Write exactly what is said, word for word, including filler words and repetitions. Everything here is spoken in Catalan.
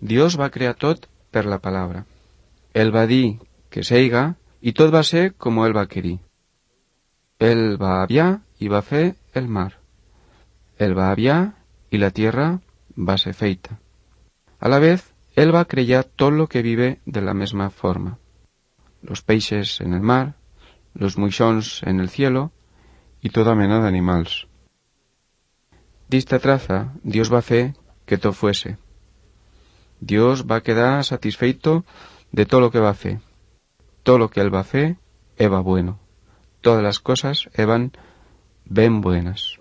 Dios va crear tot per la palabra. Ell va dir que seiga i tot va ser com ell va querir. Ell va aviar i va fer el mar. Ell va aviar y la tierra va ser feita. A la vez, él va crear todo lo que vive de la misma forma. Los peixes en el mar, los moixons en el cielo y toda mena d'animals. D'esta traza, Dios va fer que todo fuese. Dios va quedar satisfeito de todo lo que va fer. Todo lo que él va fer eba bueno. Todas las cosas eban ben buenas.